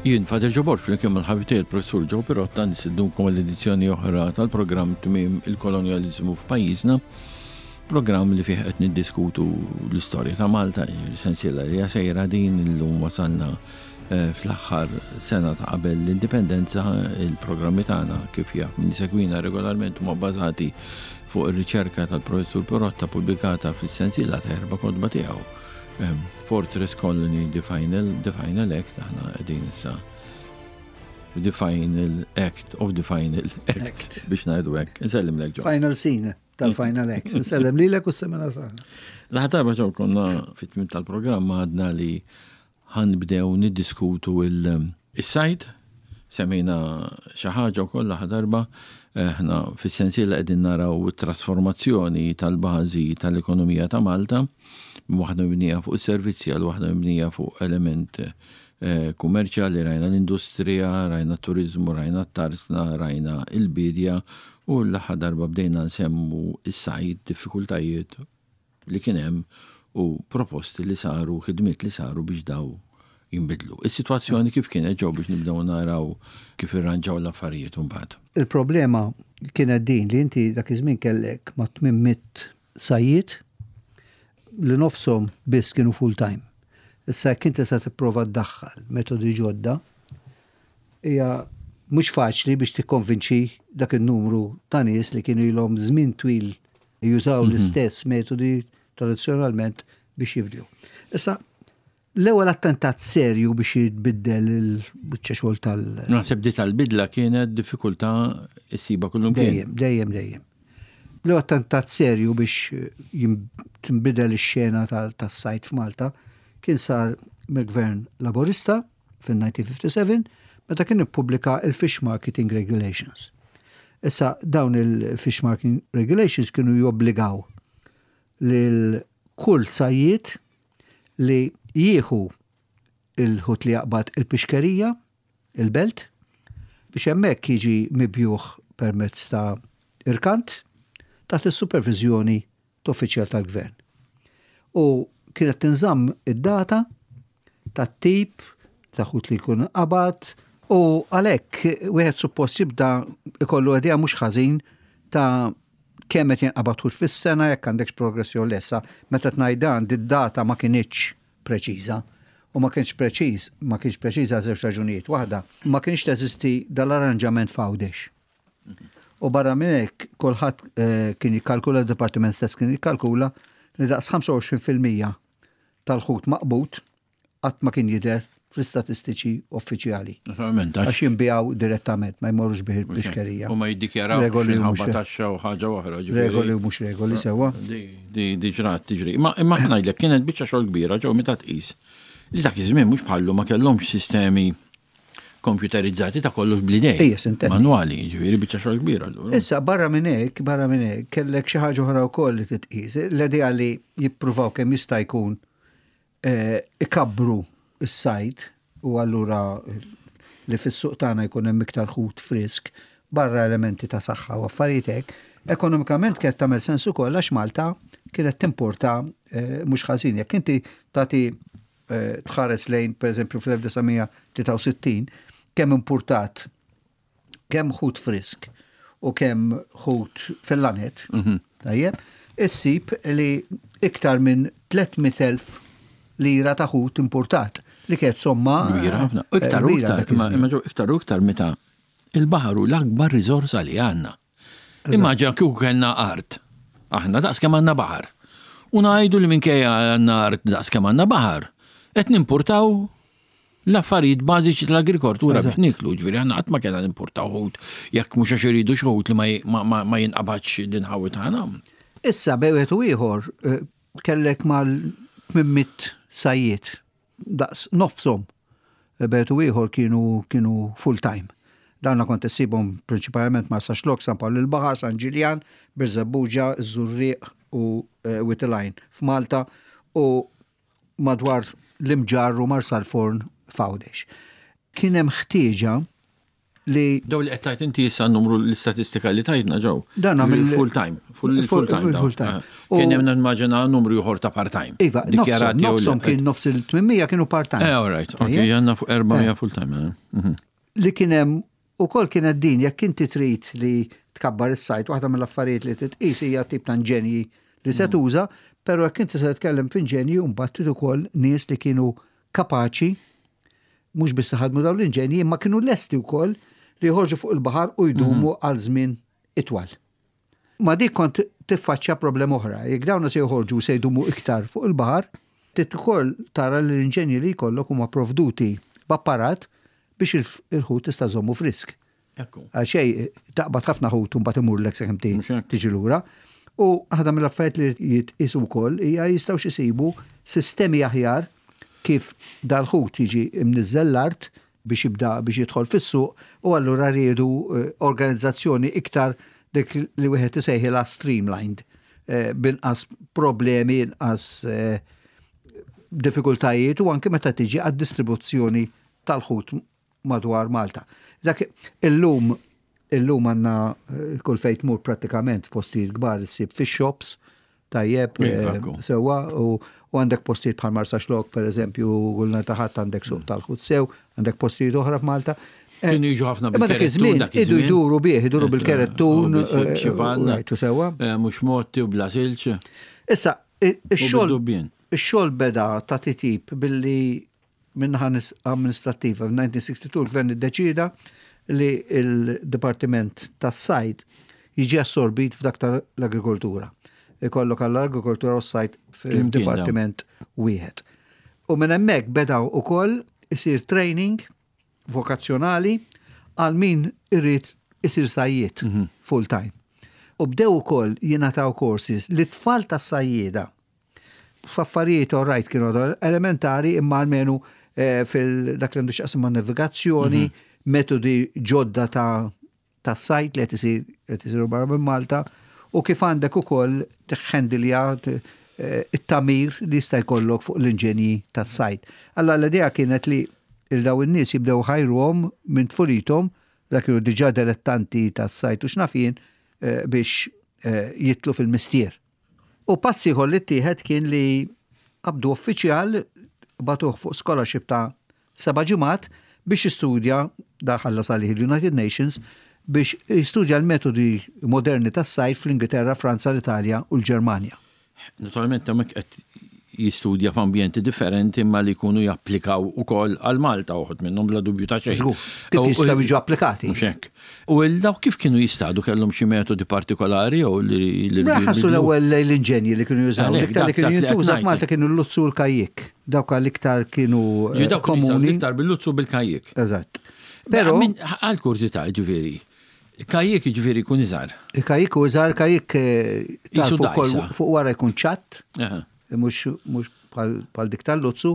Jien Father Joe Borg flimkien mal-ħabib tiegħi l-Professur Joe Pirotta nistednukom għal edizzjoni oħra tal-programm Tmiem il-Kolonjaliżmu f'pajjiżna. Programm li fih qed niddiskutu l-istorja ta' Malta, sensiela li sejra din illum wasalna eh, fl-aħħar sena ta' qabel l-indipendenza, il-programmi tagħna kif jaf min segwina regolarment huma bbażati fuq ir-riċerka tal-Professur Pirotta pubblikata fis-sensiela ta' erba' kotba tiegħu. Fortress Colony The Final, The Final Act, aħna qegħdin issa The Final Act of the Final Act, Act. biex ngħidu hekk. Insellem lek ġo. Final scene tal-Final Act. Insellem lilek u s-semena tagħna. L-aħħar darba ġew konna fit-tmiem tal-programm għadna li ħanbdew niddiskutu il-sajd, semmejna xi ħaġa wkoll l-aħħar darba, aħna fis-sensiela qegħdin naraw it-trasformazzjoni tal-bażi tal-ekonomija ta' Malta, minn waħda mibnija fuq is-servizzi għal waħda mibnija fuq element eh, kummerċjali, rajna l-industrija, rajna t-turiżmu, rajna t-tarsna, rajna il-bidja u l-aħħar darba bdejna nsemmu is-sajd, diffikultajiet li kien hemm u proposti li saru, ħidmiet li saru biex daw jinbidlu. Is-sitwazzjoni kif kienet ġew biex nibdew naraw kif irranġaw l-affarijiet imbagħad. Il-problema kienet din li inti dak iż-żmien kellek ma' 800 sajjied li nofshom biss kienu full time. Issa jekk inti se tipprova ddaħħal metodi ġodda, hija mhux faċli biex tikkonvinċi dak in-numru ta' nies li kienu ilhom żmien twil jużaw mhm. l-istess metodi tradizzjonalment biex jibdlu. Issa, l-ewwel attentat serju biex jitbiddel il-biċċa xogħol tal. Naħseb di tal-bidla kienet diffikultà issiba kullum. Dejjem, dejjem, dejjem. L-ewwel attentat serju biex tinbidel ix-xena tas-sajt f'Malta kien sar mill-Gvern Laburista fin-1957 meta kien ippubblika il-Fish Marketing Regulations. Issa dawn il-Fish Marketing Regulations kienu jobbligaw lil kull sajjied li jieħu il-ħut li jaqbad il-pixkerija, il-belt, biex hemmhekk jiġi mibjuħ permezz ta' irkant taħt is-superviżjoni t'uffiċjal tal-gvern. U kienet tinżamm id-data tat-tip ta' ħut li jkun qabad u għalhekk wieħed suppost jibda ikollu idea mhux ħażin ta' kemm qed jinqabad ħut fis-sena jekk għandekx progress jew le. Issa meta tngħid dan did-data ma kinitx preċiża. U ma kienx preċiż, ma kienx preċiża għal żewġ raġunijiet. Waħda, ma kienx teżisti dal-arranġament f'Għawdex. U barra minn hekk kulħadd eh, kien jikkalkula, d-dipartiment stess kien jikkalkula li daqs 25% tal-ħut maqbud qatt ma kien jidher fl-istatistiċi uffiċjali. Naturalment, għax jinbijaw direttament, ma jmorrux bih il-pixkerija. U ma jiddikjaraw regoli u mhux taxxa u ħaġa oħra. Regoli u mhux regoli sewwa. Di ġrat tiġri. Imma imma ngħidlek kienet biċċa xogħol kbira ġew meta tqis. Li dak iż-żmien mhux bħallu ma kellhomx sistemi komputerizzati ta' kollox bl-idej. Ejja, sintendi. Manwali, ġifieri biċċa xogħol kbira allura. Issa barra minn hekk, barra minn hekk, kellek xi ħaġa oħra wkoll li titqis. L-idea li jippruvaw kemm jista' jkun eh, ikabbru s-sajd u allura li fis-suq tagħna jkun hemm iktar ħut frisk barra elementi ta' saħħa u affarijiet hekk, ekonomikament kienet tagħmel sens ukoll għax Malta kienet timporta eh, mhux ħażin. Jekk inti tagħti Eh, tħares lejn, per eżempju, fl-1963, kemm importat, kemm ħut frisk u kemm ħut fil-lanet, mhm. tajjeb, issib li iktar minn 300.000 lira ta' ħut importat li kienet somma. Kbira ħafna. Eh, iktar u iktar, iktar u iktar meta il-baħar hu l-akbar riżorsa li għandna. Immaġina kieku kellna art. Aħna daqs kemm għandna baħar. U ngħidu li minkejja għandna art daqs kemm għandna baħar, qed nimpurtaw l-affarijiet bażiċi tal-agrikoltura biex niklu, ġifieri aħna qatt ma kellna nimpurtaw ħut jekk mhux għax iridu xi ħut li ma jinqabadx l-inħawi tagħna. Issa bejn wieħed u ieħor eh, kellek mal-800 sajjied daqs nofshom bejt u ieħor kienu kienu full time. Dawna kont issibhom prinċipalment Marsaxlokk, San Pawl il-Baħar, San Ġiljan, Birżebbuġa, Żurrieq u eh, Wied f'Malta u madwar l-Imġarr u Marsalforn f'Għawdex. Kien hemm ħtieġa li. Daw li qed tgħid inti issa numru l-istatistika li tajtna ġew. Dan mill full time, full time. Full time. Eh, kien hemm nimmaġina numru ieħor ta' part time. Iva, nofshom kien nofs il-800 kienu part time. Eh, all right, ok, għandna fuq 400 full time. Eh. Li kien hemm ukoll kienet din jekk inti trid li tkabbar is-sajt, waħda mill-affarijiet li titqis hija tip ta' inġenji li se tuża, però jekk inti se titkellem f'inġenji mbagħad trid ukoll nies li kienu kapaċi mhux biss ħadmu dawn l-inġenji imma kienu lesti wkoll li joħorġu fuq il-baħar u jdumu għal żmien itwal. Ma dik kont tiffaċċja problema oħra. Jekk dawn se joħorġu se jdumu iktar fuq il-baħar, trid ukoll tara li l-inġenji li jkollok huma provduti b'apparat biex il-ħut tista' żommu frisk. Għal xej, taqbad ħafna ħut u mbagħad imurlek sakemm tiġi lura. U waħda mill-affarijiet li jitqisu wkoll hija jistgħu isibu sistemi aħjar kif dal-ħut jiġi imniżżel l-art biex jibda biex jidħol fis-suq u allura riedu eh, organizzazzjoni iktar dik li wieħed isejħilha streamlined eh, binqas problemi, inqas eh, diffikultajiet u anke meta tiġi għad-distribuzzjoni tal-ħut madwar Malta. Dak illum illum għandna eh, kull fejn tmur prattikament f'postijiet kbar issib fish shops tajjeb eh, sewwa u għandek postijiet bħal Marsaxlokk per eżempju kull nhar ta' Ħadd għandek suq tal-ħut sew, għandek postijiet oħra f'Malta. Eh, Kienu jiġu ħafna bil dak iż-żmien idu jduru bih, iduru bil-kerettun, rajtu sewwa. Mhux motti u bla silġ. Issa, ix-xogħol ix-xogħol beda ta' titjib billi Min-naħa amministrattiva, f'1962 l-Gvern iddeċieda li l-Dipartiment tas-Sajd jiġi assorbit f'dak tal-Agrikoltura. Ikollok għall-agrikoltura u s-sajd f'dipartiment wieħed. U minn hemmhekk beda wkoll isir training vokazzjonali għal min irid isir sajjied full time. U bdew ukoll jingħataw courses lit-tfal tas-sajjieda F'affarijiet all right kienu elementari imma almenu eh, fil dak li għandu x'qasam ma' navigazzjoni, mhm. metodi ġodda ta' ta' sajt li qed isiru barra minn Malta u kif għandek ukoll tiħħendilja eh, it-tamir li jista' jkollok fuq l-inġenji tas-sajt. Alla l-idea kienet li il daw in-nies jibdew ħajruhom minn tfulithom dak kienu diġà dilettanti tas-sajt u x'naf jien eh, biex jitlu fil-mistier. U pass ieħor li ttieħed kien li qabdu uffiċjal bagħtuh fuq scholarship ta' seba' ġimgħat biex jistudja, dan ħallas għalih il-United Nations, biex jistudja l-metodi moderni tas-sajd fl-Ingilterra, Franza, l-Italja u l-Ġermanja. Naturalment hemmhekk qed jistudja f'ambjenti differenti imma li jkunu japplikaw ukoll għal Malta uħud minnhom bla dubju ta' xejn. Żgur, kif jistgħu jiġu applikati. Mhux hekk. U dawk kif kienu jistadu kellhom xi metodi partikolari jew li Mela ħassu l-ewwel l-inġenji li kienu jużaw. L-iktar li kienu jintuża f'Malta kienu l-luzzu u l-kajjik. Dawk l-iktar kienu eh, komuni. L-iktar bil-luzzu bil-kajjik. Eżatt. Però għal kurżità ġifieri, Kajjik jiġifieri jkun iżgħar. Il-kajjik hu iżgħar, kajjik eh, fuq wara jkun ċatt, mhux bħal dik tal-luzzu,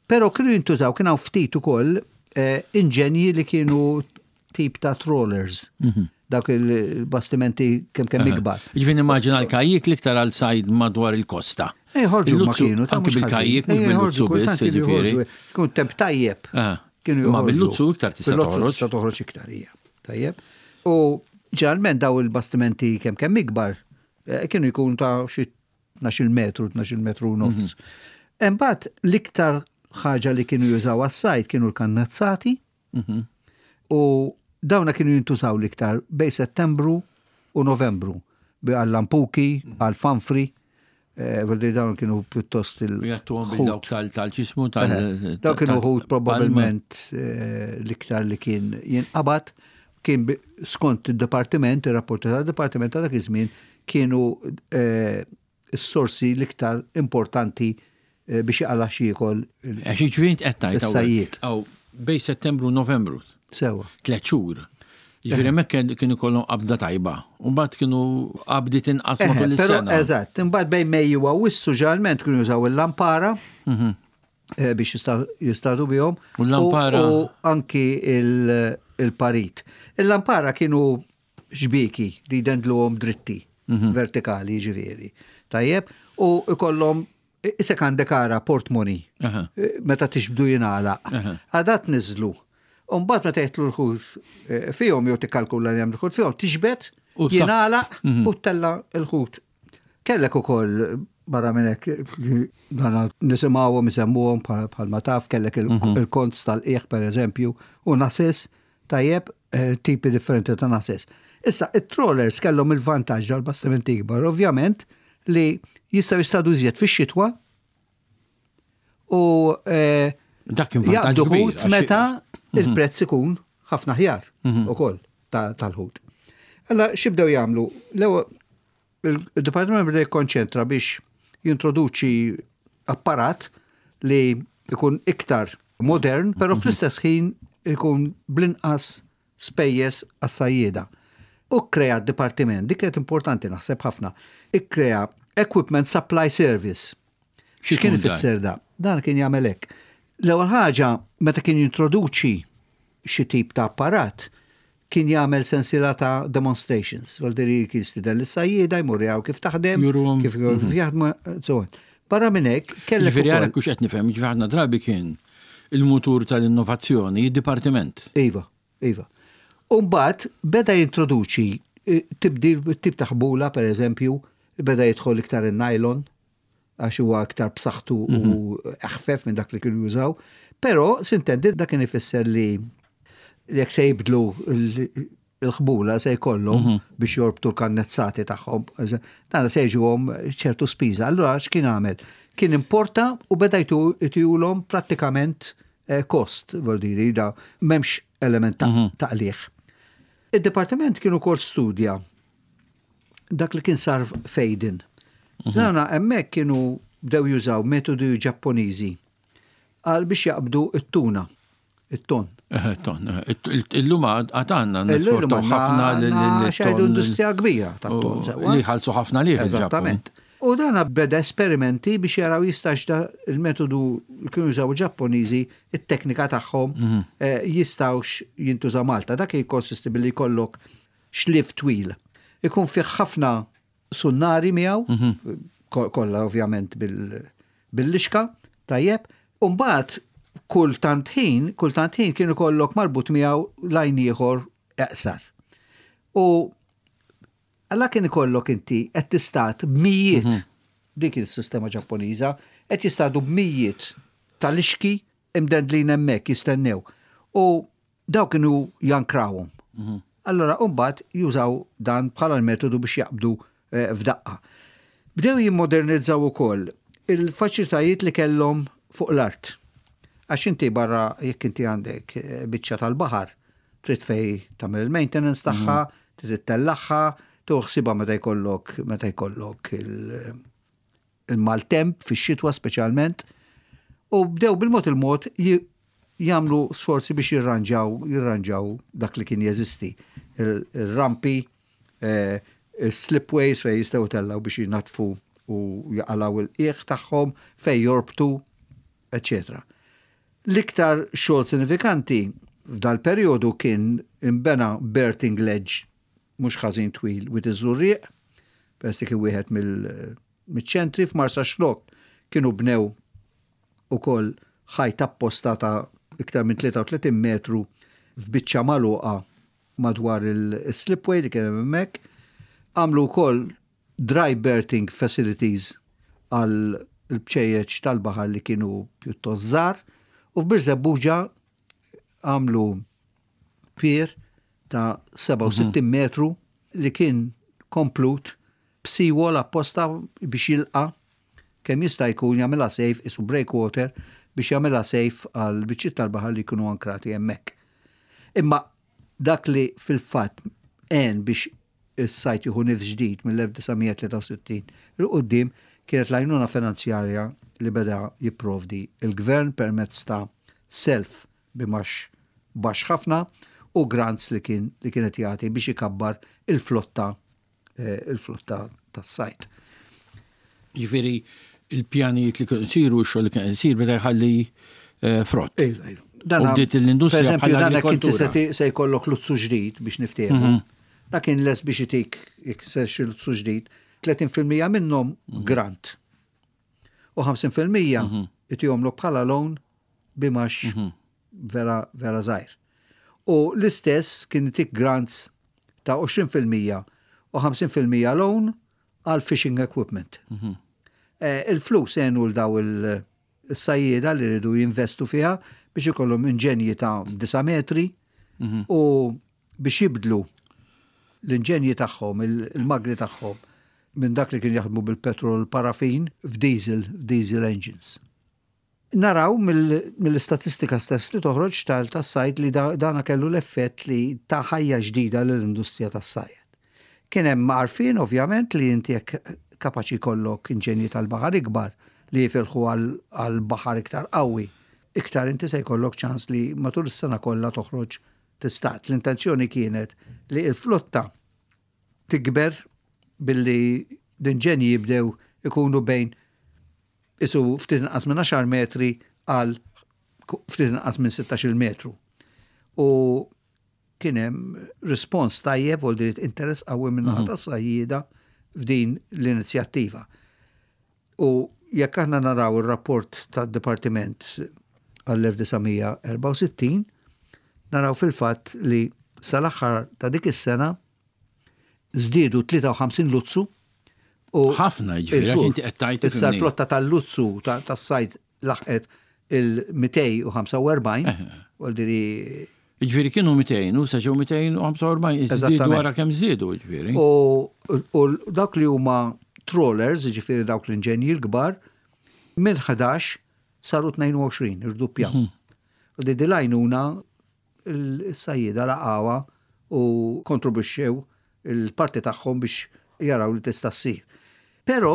però kienu jintużaw kien hawn ftit ukoll eh, inġenji li kienu tip ta' trawlers. Mhm. Dawk il-bastimenti kemm kemm ikbar. Ġifieri nimmaġina l-kajjik l-iktar għal sajd madwar il-kosta. Eh, ħorġu ma kienu, ta' mhux bil-kajjik, mhux bil-luzzu biss, ġifieri. Kun temp tajjeb. Kienu Ma bil-luzzu iktar tista' toħroġ. Bil-luzzu tista' toħroġ iktar, hija. Tajjeb. U ġeneralment daw il-bastimenti kemm kemm ikbar eh, kienu jkun ta' xi 12 metru, 12 metru nofs. Mhm. Imbagħad l-iktar ħaġa li kienu jużaw għas-sajd kienu l-kannazzati mhm. u dawna kienu jintużaw l-iktar bej Settembru u Novembru għall-lampuki, mhm. għall-fanfri. Eh, Vuol dire dawn kienu pjuttost il. Jattuhom bil dawk tal-ċismu tal. Eh, dawk kienu ħut probabbilment eh, l-iktar li kien jinqabad kien skont il-departiment, il-rapporti tal-departiment ta' dak iż-żmien kienu s-sorsi l-iktar importanti biex jaqla' x'jiekol. Għax jiġifieri int qed tgħid is-sajjied. Bejn Settembru u Novembru. Sewwa. Tlet xhur. Jiġifieri hemmhekk kienu jkollhom qabda tajba. U mbagħad kienu qabdiet inqas matul is-sena. Eżatt, imbagħad bejn Mejju u Awwissu ġeneralment kienu jużaw il-lampara mhm. eh, biex jistadu bihom. U l-lampara. U anki il-parit. Il-lampara kienu xbieki li jdendluhom dritti, mhm. vertikali ġifieri. Tajjeb, u ikollhom isek għandek ara portmoni eh, meta tixbdu jingħalaq. Għadat niżlu. U mbagħad meta jitlu l-ħut eh, fihom jew tikkalkula li hemm l-ħut fihom, tiġbed, jingħalaq mhm. u tella l-ħut. Kellek ukoll barra minn hekk li dana nisimgħuhom isemmuhom bħalma taf kellek mhm. il-konz tal-qiegħ pereżempju u nasis tajjeb eh, tipi differenti ta' nasis. Issa, it-trawlers kellhom il-vantaġġ dal-bastimenti ikbar, ovvjament, li jistgħu jistadu iżjed fix-xitwa u eh, dak kien vantaġġ ħut meta mhm. il-prezz ikun ħafna ħjar mhm. ukoll tal-ħut. Alla x'ibdew jagħmlu? L-ewwel il-Dipartiment beda jikkonċentra biex jintroduċi apparat li ikun iktar modern, però mhm. fl-istess ħin ikun bl-inqas spejjeż għas-sajjieda. U kkrea dipartiment, dik kienet importanti naħseb ħafna, ikkrea Equipment Supply Service. Xi kien ifisser da? Dan kien jagħmel hekk. L-ewwel ħaġa meta kien jintroduċi xi tip ta' apparat, kien jagħmel sensiela ta' demonstrations. Vuol kien stieden lis-sajjieda jmur jaraw kif taħdem, kif mhm. jaħdmu, so on. Barra minn hekk kellek. Ġifieri ara kux qed nifhem, ġifieri ħafna drabi kien il-mutur tal-innovazzjoni, id-dipartiment. Iva, iva. U mbagħad beda jintroduċi eh, tibdil tip ta' ħbula pereżempju, beda jidħol iktar in-nylon għax huwa iktar b'saħħtu u mhm. eħfef minn dak li kienu jużaw. Però sintendi dak kien ifisser li jekk se jibdlu il-ħbula se jkollhom mhm. biex jorbtu l-kannezzati tagħhom, dan se jiġuhom ċertu spiża. Allura x'kien għamel? Kien importa u beda jtihulhom prattikament eh, kost, vol diri, da m'hemmx element ta' mhm. taqliħ. Id-dipartiment kien ukoll studja dak li kien sar fejdin. Mhm. Dana hemmhekk kienu bdew jużaw metodi Ġappuniżi għal biex jaqbdu it-tuna, it-ton. Eh, ton. Eh, illum għad għandna Illum ħafna l-ton. industrija kbira tat-ton sewwa. Li ħalsu ħafna liħ. Eżattament. U dan beda esperimenti biex jaraw jistax da il-metodu li kienu jużaw il-Ġappuniżi, it-teknika tagħhom mhm. eh, jistawx jintuża Malta. Dak jikkonsisti billi jkollok xlief twil. Ikun fih ħafna sunnari miegħu, mhm. kollha ovvjament bil-lixka, tajjeb, u mbagħad kull tant ħin, kull tant ħin kien ikollok marbut miegħu lajn ieħor eqsar. U għalla kien ikollok inti qed tistat b'mijiet mhm. dik il-sistema Ġappuniża, qed jistadu b'mijiet tal-ixki imdendlin hemmhekk jistennew. U Daw kienu jankrawhom. Mhm. Allora mbagħad jużaw dan bħala l-metodu biex jaqbdu eh, f'daqqa. Bdew jimmodernizzaw ukoll il-faċilitajiet li kellhom fuq l-art. Għax inti barra jekk inti għandek eh, biċċa tal-baħar, trid fej tagħmel il-maintenance tagħha, mhm. trid ittellagħha, tuħsibha meta jkollok meta jkollok il- il-maltemp fix-xitwa speċjalment, u bdew bil-mod il-mod jagħmlu sforzi biex jirranġaw jirranġaw dak li kien jeżisti. Il-rampi, eh, il-slipways fejn jistgħu tellgħu biex jinatfu u jaqalgħu il-qiegħ tagħhom fejn jorbtu, eċetera. L-iktar xogħol sinifikanti f'dal-perjodu kien imbena berthing ledge mhux ħażin twil Wied iż-Żurrieq, peress li kien wieħed mill-ċentri f'Marsaxlokk kienu bnew ukoll ħajt apposta ta' iktar minn 33 metru f'biċċa magħluqa madwar il-slipway li kien hemm hemmhekk. Għamlu wkoll dry berthing facilities għal il-bċejjeċ tal-baħar li kienu pjuttost żgħar u f'Birżebbuġa għamlu pier ta' 67 mhm. metru li kien komplut b'seawall apposta biex jilqa' kemm jista' jkun jagħmilha safe isu breakwater biex jagħmilha safe għal biċċiet tal-baħar li jkunu ankrati hemmhekk. Imma dak li fil-fatt għen biex is-sajt jieħu nifs ġdid mill-1963 'il quddiem kienet l-għajnuna finanzjarja li beda jipprovdi l-Gvern permezz ta' self b'imgħax baxx ħafna u grants li kien li kien qed jagħti biex ikabbar il-flotta eh, il-flotta tas-sajt. Jiġifieri il-pjanijiet li kienu jsiru, x-xogħol li kien isir beda jħalli eh, frott. Iva, iva. Dan bdiet l-industrija bħala agrikoltura. Se jkollok luzzu ġdid biex niftehmu. Mhm. Dak kien les biex itik jekk se xi luzzu ġdid, 30% minnhom mhm. grant. U 50% mhm. itihomlok bħala loan bimax mhm. vera vera żgħir. U l-istess kien itik grants ta' 20% u 50% loan għal fishing equipment. Il-flus għenu 'l daw il-sajjieda li rridu jinvestu fiha biex ikollhom inġenji ta' 9 metri u biex jibdlu l-inġenji tagħhom, il-magni tagħhom minn dak li kien jaħdmu bil-petrol parafin f'diesel, f'diesel engines. Naraw mill-istatistika stess li toħroġ tas-sajd li dana kellu l-effett li ta ħajja ġdida lill-industrija tas-sajd. Kien hemm għarfien ovvjament li inti jekk kapaċi jkollok inġenji tal-baħar ikbar li jifilħu għal baħar iktar qawwi, iktar inti se jkollok ċans li matul is-sena kollha toħroġ tistad. L-intenzjoni kienet li l-flotta tikber billi l-inġenji jibdew ikunu bejn isu ftit inqas minn 10 metri għal ftit inqas minn 16 metru. U kien hemm rispons tajjeb u interess qawwi minn naħa tas-sajjieda f'din l-inizjattiva. U jekk aħna naraw ir-rapport tad-Dipartiment għall-1964, naraw fil-fatt li sal-aħħar ta' dik is-sena żdiedu 53 luzzu u ħafna ġifieri inti qed tgħid. Issa l-flotta tal-luzzu tas-sajd laħqet il-245, vuol dire Ġifieri kienu 200 u sa ġew 245, żdiedu wara kemm żdiedu ġifieri. U dawk li huma trawlers, ġifieri dawk l-inġenji l-kbar, minn 11 saru 22, irduppjaw. U di l-għajnuna il-sajjieda laqgħuha u kontribwixxew il-parti tagħhom biex jaraw li tista' ssir. Però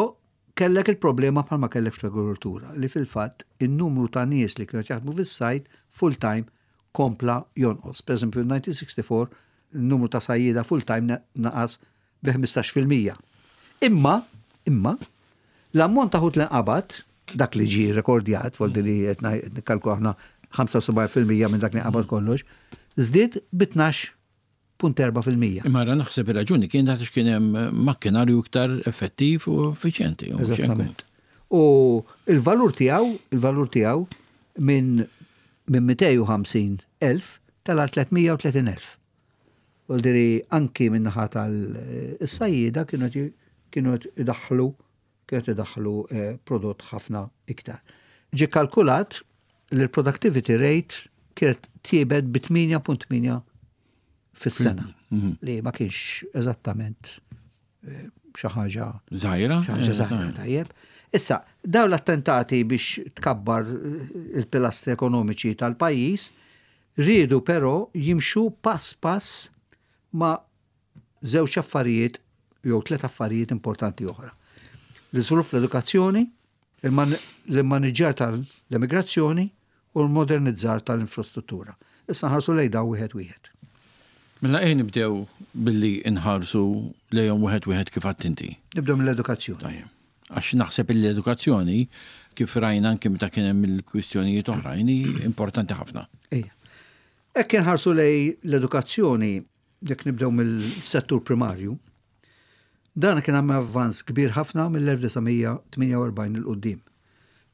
kellek il-problema bħalma kellek fl-agrikoltura li fil-fatt in-numru ta' nies li kienu jaħdmu fis-sajd full-time kompla jonqos. Per eżempju, 1964 il-numru ta' sajjieda full-time naqas bi 15%. Imma, l-ammont ta' ħut li nqabad, dak li ġie rekordjat, vuol dire li qed nikkalkulu aħna 75% minn dak li nqabad kollox, żdied bi 12.4%. Imma ra naħseb ir-raġuni kien għax kien hemm makkinarju iktar effettiv u effiċjenti. Eżattament. U il-valur tiegħu, il-valur tiegħu minn 250,000 tela' 330,000. Vuol dire anki minn naħa tal-sajjieda kienu idaħħlu prodott ħafna iktar. Ġie kalkulat li l-productivity rate kienet tjiebet bi 8.8 fis-sena. Li ma kienx eżattament xi ħaġa Żgħira? Xi ħaġa żgħira, tajjeb. Issa, daw l-attentati biex tkabbar il-pilastri ekonomiċi tal-pajjiż riedu però jimxu pass pass ma' żewġ affarijiet jew tliet affarijiet importanti oħra. L-iżvilupp fl-edukazzjoni, l-immaniġġjar tal-immigrazzjoni u l-modernizzar tal-infrastruttura. Issa nħarsu lejn daw wieħed wieħed. Mela ejja nibdew billi nħarsu lejhom wieħed wieħed kif għedt inti. Nibdew mill-edukazzjoni. Tajjeb. Għax naħseb l-edukazzjoni kif rajna anke meta kien hemm il-kwistjonijiet oħrajn importanti ħafna. Ejja. Hekk inħarsu lejn l-edukazzjoni, jekk nibdew mill-settur primarju, dan kien hemm avvanz kbir ħafna mill-1948 'il quddiem.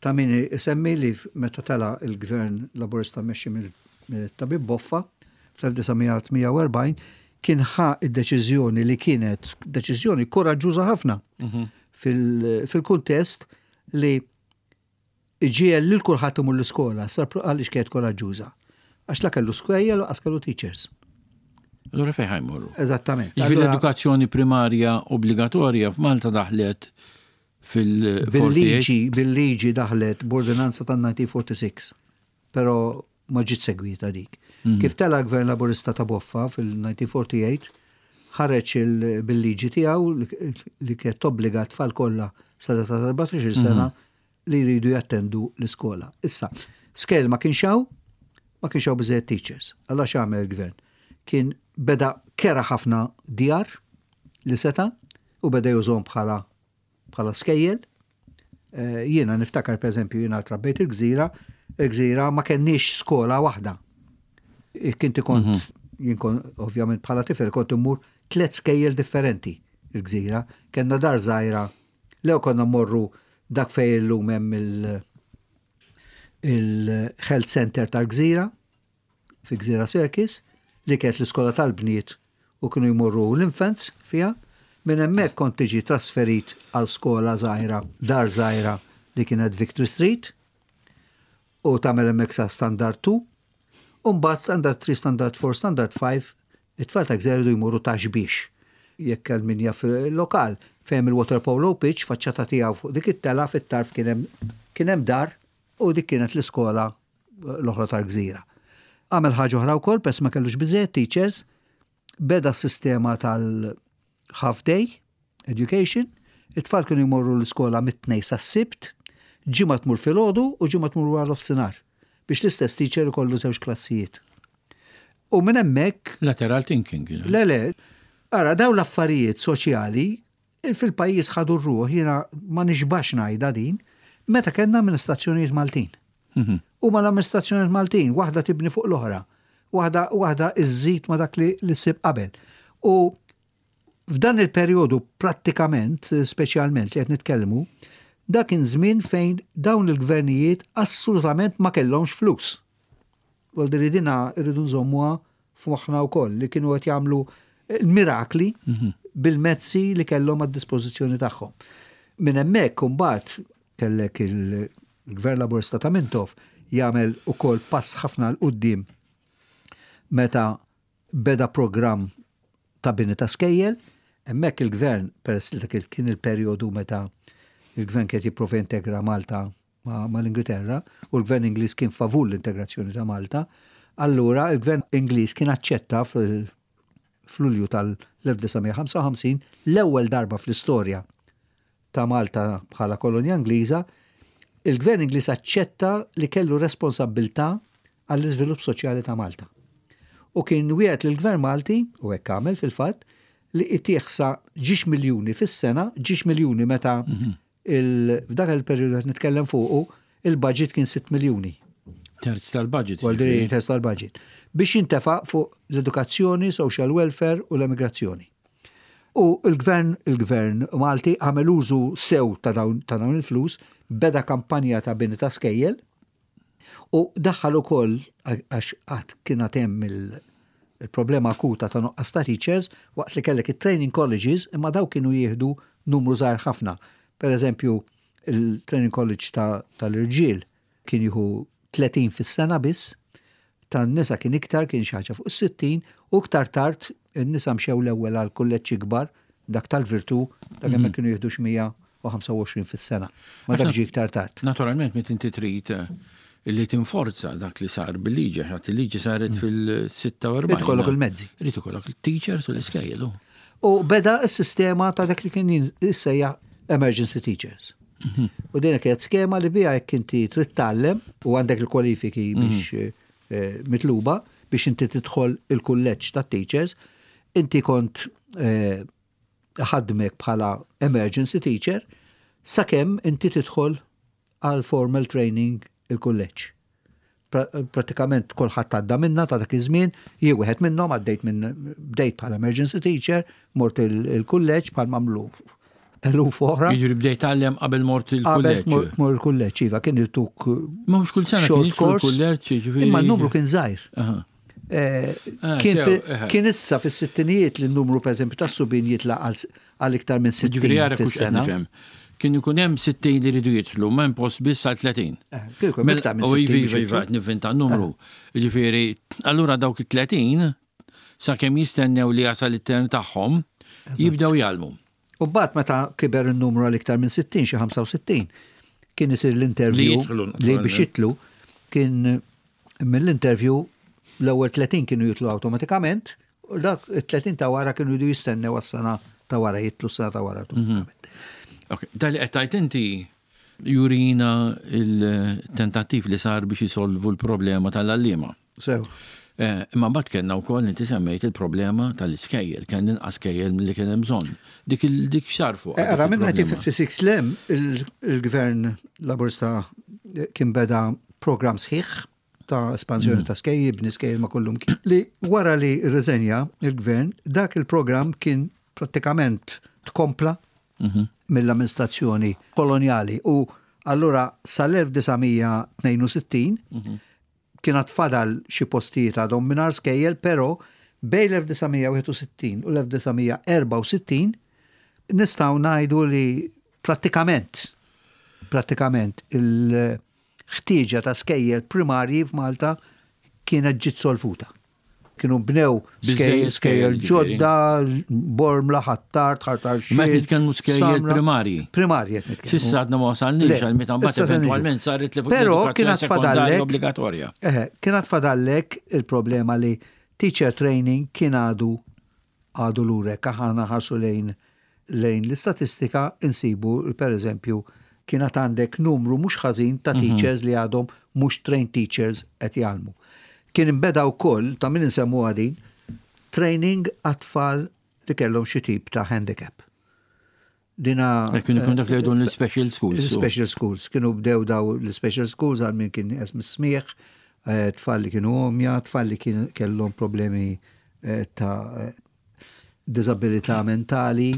Ta' min isemmi li meta tela il-gvern laburista mmexxi mill-tabib Boffa fl-1948 kien ħa id-deċiżjoni li kienet deċiżjoni koraġġuża ħafna fil-kuntest li iġiegħel lil kulħadd imur l-iskola, sar għaliex kienet koraġġuża. Għax la kellu skejjel u lanqas kellu teachers. Allura fejn ħa jmorru? Eżattament. Jiġifieri l-edukazzjoni primarja obbligatorja f'Malta daħlet fil- Bil-liġi, bil-liġi daħlet b'ordinanza tan-1946, però ma ġiet segwita dik. Kif tela l-Gvern Laburista ta' Boffa fil-1948, ħareġ bil-liġi tiegħu li kienet tobbliga tfal kollha sa ta' 14 sena li jridu jattendu l-iskola. Issa, skejjel ma kienx hawn, ma kienx hawn biżejjed teachers. Allura x'għamel il-gvern? Kien beda kera ħafna djar li seta' u beda jużhom bħala skejjel. Jiena niftakar per eżempju jiena trabbejt il-Gżira, il-Gżira ma kenniex skola waħda. Kinti kont, jien kont ovvjament bħala tifel kont immur tliet skejjel differenti il-Gżira. Kenna dar żgħira, lew konna mmorru dak fejn illum hemm il-health center tal-Gżira, fi Gżira Circus. li kienet l-iskola tal-bniet u kienu jmorru l-infants fiha. Minn hemmhekk kont tiġi trasferit għal skola żgħira, dar żgħira li kienet Victory Street u tagħmel hemmhekk sa Standard 2. U mbagħad Standard 3, Standard 4, Standard 5, it-tfal ta' Gżira jridu jmorru ta' xbiex. Jekk għal min jaf lokal fejn il-water polo pitch, faċċata tiegħu fuq dik it-tela fit-tarf kien hemm kien hemm dar u dik kienet l-iskola l-oħra tal-gżira. Għamel ħaġa oħra wkoll peress ma kellux biżejjed teachers, beda s-sistema tal-half day education, it-tfal kienu jmorru l-iskola mit-tnej sas-sibt, ġimgħa tmur filgħodu u ġimgħa tmur wara nofsinhar biex l-istess teacher ikollu żewġ klassijiet. U minn hemmhekk Lateral thinking. Le, le, ara daw l-affarijiet soċjali fil-pajjiż ħadu r-ruħ, jiena ma nixbax ngħidha din, meta kellna amministrazzjonijiet Maltin. U ma l-amministrazzjonijiet Maltin, waħda tibni fuq l-oħra, waħda waħda iżżid ma dak li li ssib qabel. U f'dan il-perjodu prattikament, speċjalment li qed nitkellmu, dak kien żmien fejn dawn il-gvernijiet assolutament ma kellhomx flus. Vuol dire dina rridu nżommuha f'moħħna wkoll li kienu qed jagħmlu mirakli bil-mezzi li kellhom għad-dispożizzjoni tagħhom. Minn hemmhekk imbagħad kellek il-Gvern Laburista ta' Mintoff jagħmel ukoll pass ħafna 'l quddiem meta beda programm ta' bini ta' skejjel, hemmhekk il-gvern peress li dak kien il-perjodu meta il-gvern kien jipprova jintegra Malta mal-Ingilterra u l-gvern Ingliż kien favur l-integrazzjoni ta' Malta, allura il-gvern Ingliż kien aċċetta fl-Lulju tal-1955 l-ewwel darba fl-istorja ta' Malta bħala kolonja Ingliża, il-gvern Ingliż aċċetta li kellu responsabbiltà għall-iżvilupp soċjali ta' Malta. U kien wiegħed lill-gvern Malti, u hekk għamel fil-fatt, li itih sa ġiex miljuni fis-sena, ġiex miljuni meta f'dak il-perjodu qed nitkellem fuqu, il-budget kien 6 miljuni. Terz tal-budget. Vuol terz tal-budget. Biex jintefa' fuq l-edukazzjoni, social welfare u l-emigrazzjoni. U l-gvern il-gvern Malti għamel użu sew ta' dawn ta' dawn il-flus, beda kampanja ta' bini ta' skejjel u daħħal ukoll għax qatt kien għad hemm il-problema akuta ta' nuqqas ta' teachers waqt li kellek it-training colleges imma daw kienu jieħdu numru żgħir ħafna. Per eżempju, il-training college tal-irġiel kien jieħu 30 fis-sena biss, tan-nisa kien iktar, kien xi ħaġa fuq is-60, u iktar tard in-nisa mxew l-ewwel għal kulleġġ ikbar, dak tal-Virtù, dak hemmhekk kienu jieħdu xi 125 fis-sena. Ma dak ġie iktar tard. Naturalment, meta inti trid li tinforza dak li sar bil-liġi, għax il-liġi saret fil-46. Irid ikollok il-mezzi. Irid ikollok il-teachers u l-iskejjel. U beda s-sistema ta' dak li kien jissejjaħ emergency teachers. U din kienet skema li biha jekk inti trid tgħallem u għandek il-kwalifiki biex eh, mitluba biex inti tidħol il-kulleġġ ta' teachers, inti kont eh, ħadmek bħala emergency teacher sakemm inti tidħol għal formal training il-kulleġġ. Pratikament kulħadd għadda minna ta' dak iż-żmien, jien wieħed minnhom għaddejt minn bdejt bħala emergency teacher, mort il-kulleġġ bħal mamlu eluf oħra. Jiġri bdejt tgħallem qabel mort il-kulleġġ. Qabel mort il-kulleġġ, iva, kien irtuk Ma mhux kull sena short course. Imma n-numru kien żgħir. Eh, ah, eh. Kien issa fis-sittinijiet li n-numru pereżempju tas-subien jitla' għal iktar minn 60 fis-sena. Kien ikun hemm 60 li jridu jidħlu, ma hemm post biss għal 30. Eh, kien ikun hemm iktar minn 60. U iva, iva, nivvinta numru. Ġifieri, allura dawk it-30 sakemm jistennew li jasal it-tern tagħhom, jibdew jgħallmu. U mbagħad meta kiber in-numru għal iktar minn 60, xi 65, kien isir l-interview li biex jitlu kien mill-interview l-ewwel 30 kienu jitlu awtomatikament u dak it-30 ta' wara kienu jridu jistennew għas-sena ta' wara jitlu s-sena ta' wara mhm. Ok, dali qed tgħid inti jurina il-tentattiv li sar biex jisolvu l-problema tal-għalliema. Sew. Eh, imma mbagħad kellna wkoll inti semmejt il-problema tal-iskejjel, kien inqas skejjel milli kien hemm bżonn. Dik dik xar fuq. Eh, ara minn 1956 lem il-gvern Laburista kien beda programm sħiħ ta' espansjoni mm. ta' skejjel, bni skejjel ma' kullum kien. Li wara li rriżenja il-gvern, dak il-programm kien prattikament tkompla mhm. mill-amministrazzjoni kolonjali u allura sal-1962 mhm. Kien għad fadal xi postijiet għadhom mingħajr skejjel, però bejn l-1961 u l-1964 nistgħu ngħidu li prattikament prattikament il-ħtieġa ta' skejjel primarji f'Malta kienet ġiet solvuta. Kienu bnew skejjel ġodda, Bormla, Ħ'Attard, Ħal Tarxien. Ma nitkellmu skejjel primarji. Primarji qed nitkellmu. S'issa għadna ma wasalniex għal meta mbagħad eventwalment saret li Però kien fadallek obbligatorja. Kien fadallek il-problema li teacher training kien għadu għadu lura jekk aħna nħarsu lejn lejn l-istatistika insibu li pereżempju kien għad għandek numru mhux ħażin ta' teachers li għadhom mhux trained teachers qed jgħallmu. Kien inbeda wkoll, ta' min insemmuha din, training għat-tfal li kellhom xi tip ta' handicap. Dina. Eh, kienu kienu dak li jgħidu l-special schools. Special schools. Kienu bdew daw l-special schools għal min kien nieqes mis-smieħ, eh, tfal li kienu omja, tfal li kien kellhom problemi eh, ta' disabilità mentali.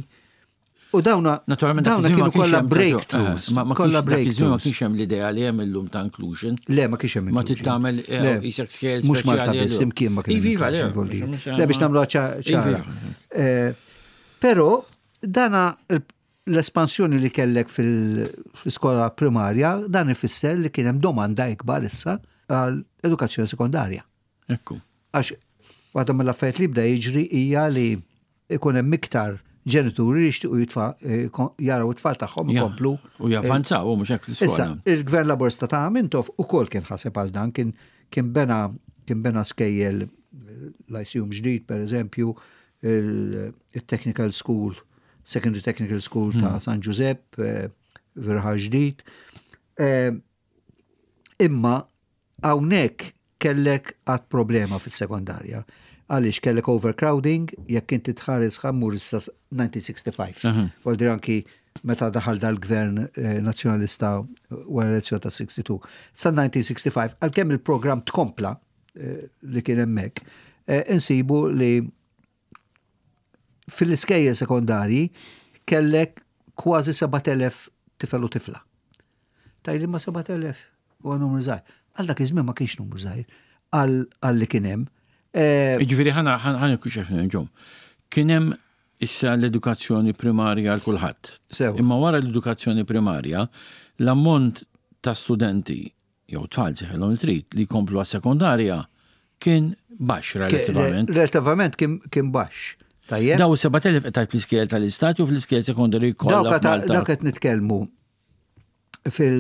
U dawna, Naturalment, dawna kienu kollha breakthroughs. Ma kollha breakthroughs. Ma kienx hemm l-idea li hemm illum ta' inclusion. Le, ma kienx hemm Ma tittamel isek scale. Mhux Malta biss, imkien ma kien. Iva, le. Le biex nagħmlu ċara. Però Dana l-espansjoni li kellek fil-iskola primarja, dan ifisser li kien hemm domanda ikbar issa għal edukazzjoni sekondarja. Ekku. Għax waħda mill-affarijiet li bda jiġri hija li ikun hemm iktar ġenituri li jixtiequ jitfa' eh, jaraw it-tfal tagħhom ikomplu. U javvanzaw, mhux hekk l-iskola. Issa, il-Gvern Laburista ta' Mintoff ukoll kien ħaseb għal dan, kien kien bena kien bena skejjel l-ICU ġdid, per eżempju, il-Technical School, Secondary Technical School ta' hmm. San Giuseppe, eh, Virħa ġdid. Eh, imma hawnhekk kellek għad problema fis-sekondarja. Għaliex kellek overcrowding, jekk inti tħares ħammur issa 1965. Voldir anki meta daħal dal-gvern eh, nazzjonalista wara l-elezzjoni ta' 62. Sa 1965, għalkemm il-programm tkompla eh, li kien hemmhekk, eh, insibu li fil-iskejjel sekondarji kellek kważi 7000 tifel u tifla. Tajli ma 7000 huwa numru żgħir. Għal dak iż-żmien ma kienx numru żgħir għal li kien hemm. Eh, Ġifieri ħana ħana kuxef ġom. Kien hemm issa l-edukazzjoni primarja għal kulħadd. Imma wara l-edukazzjoni primarja, l-ammont ta' studenti jew tfal seħilhom li trid li jkomplu għas-sekondarja kien baxx relattivament. Relattivament kien baxx. Tajjeb. Daw 7000 qed tgħid fl-iskejjel tal-istat jew fl-iskejjel sekondarji kollha. Dawk qed nitkellmu fil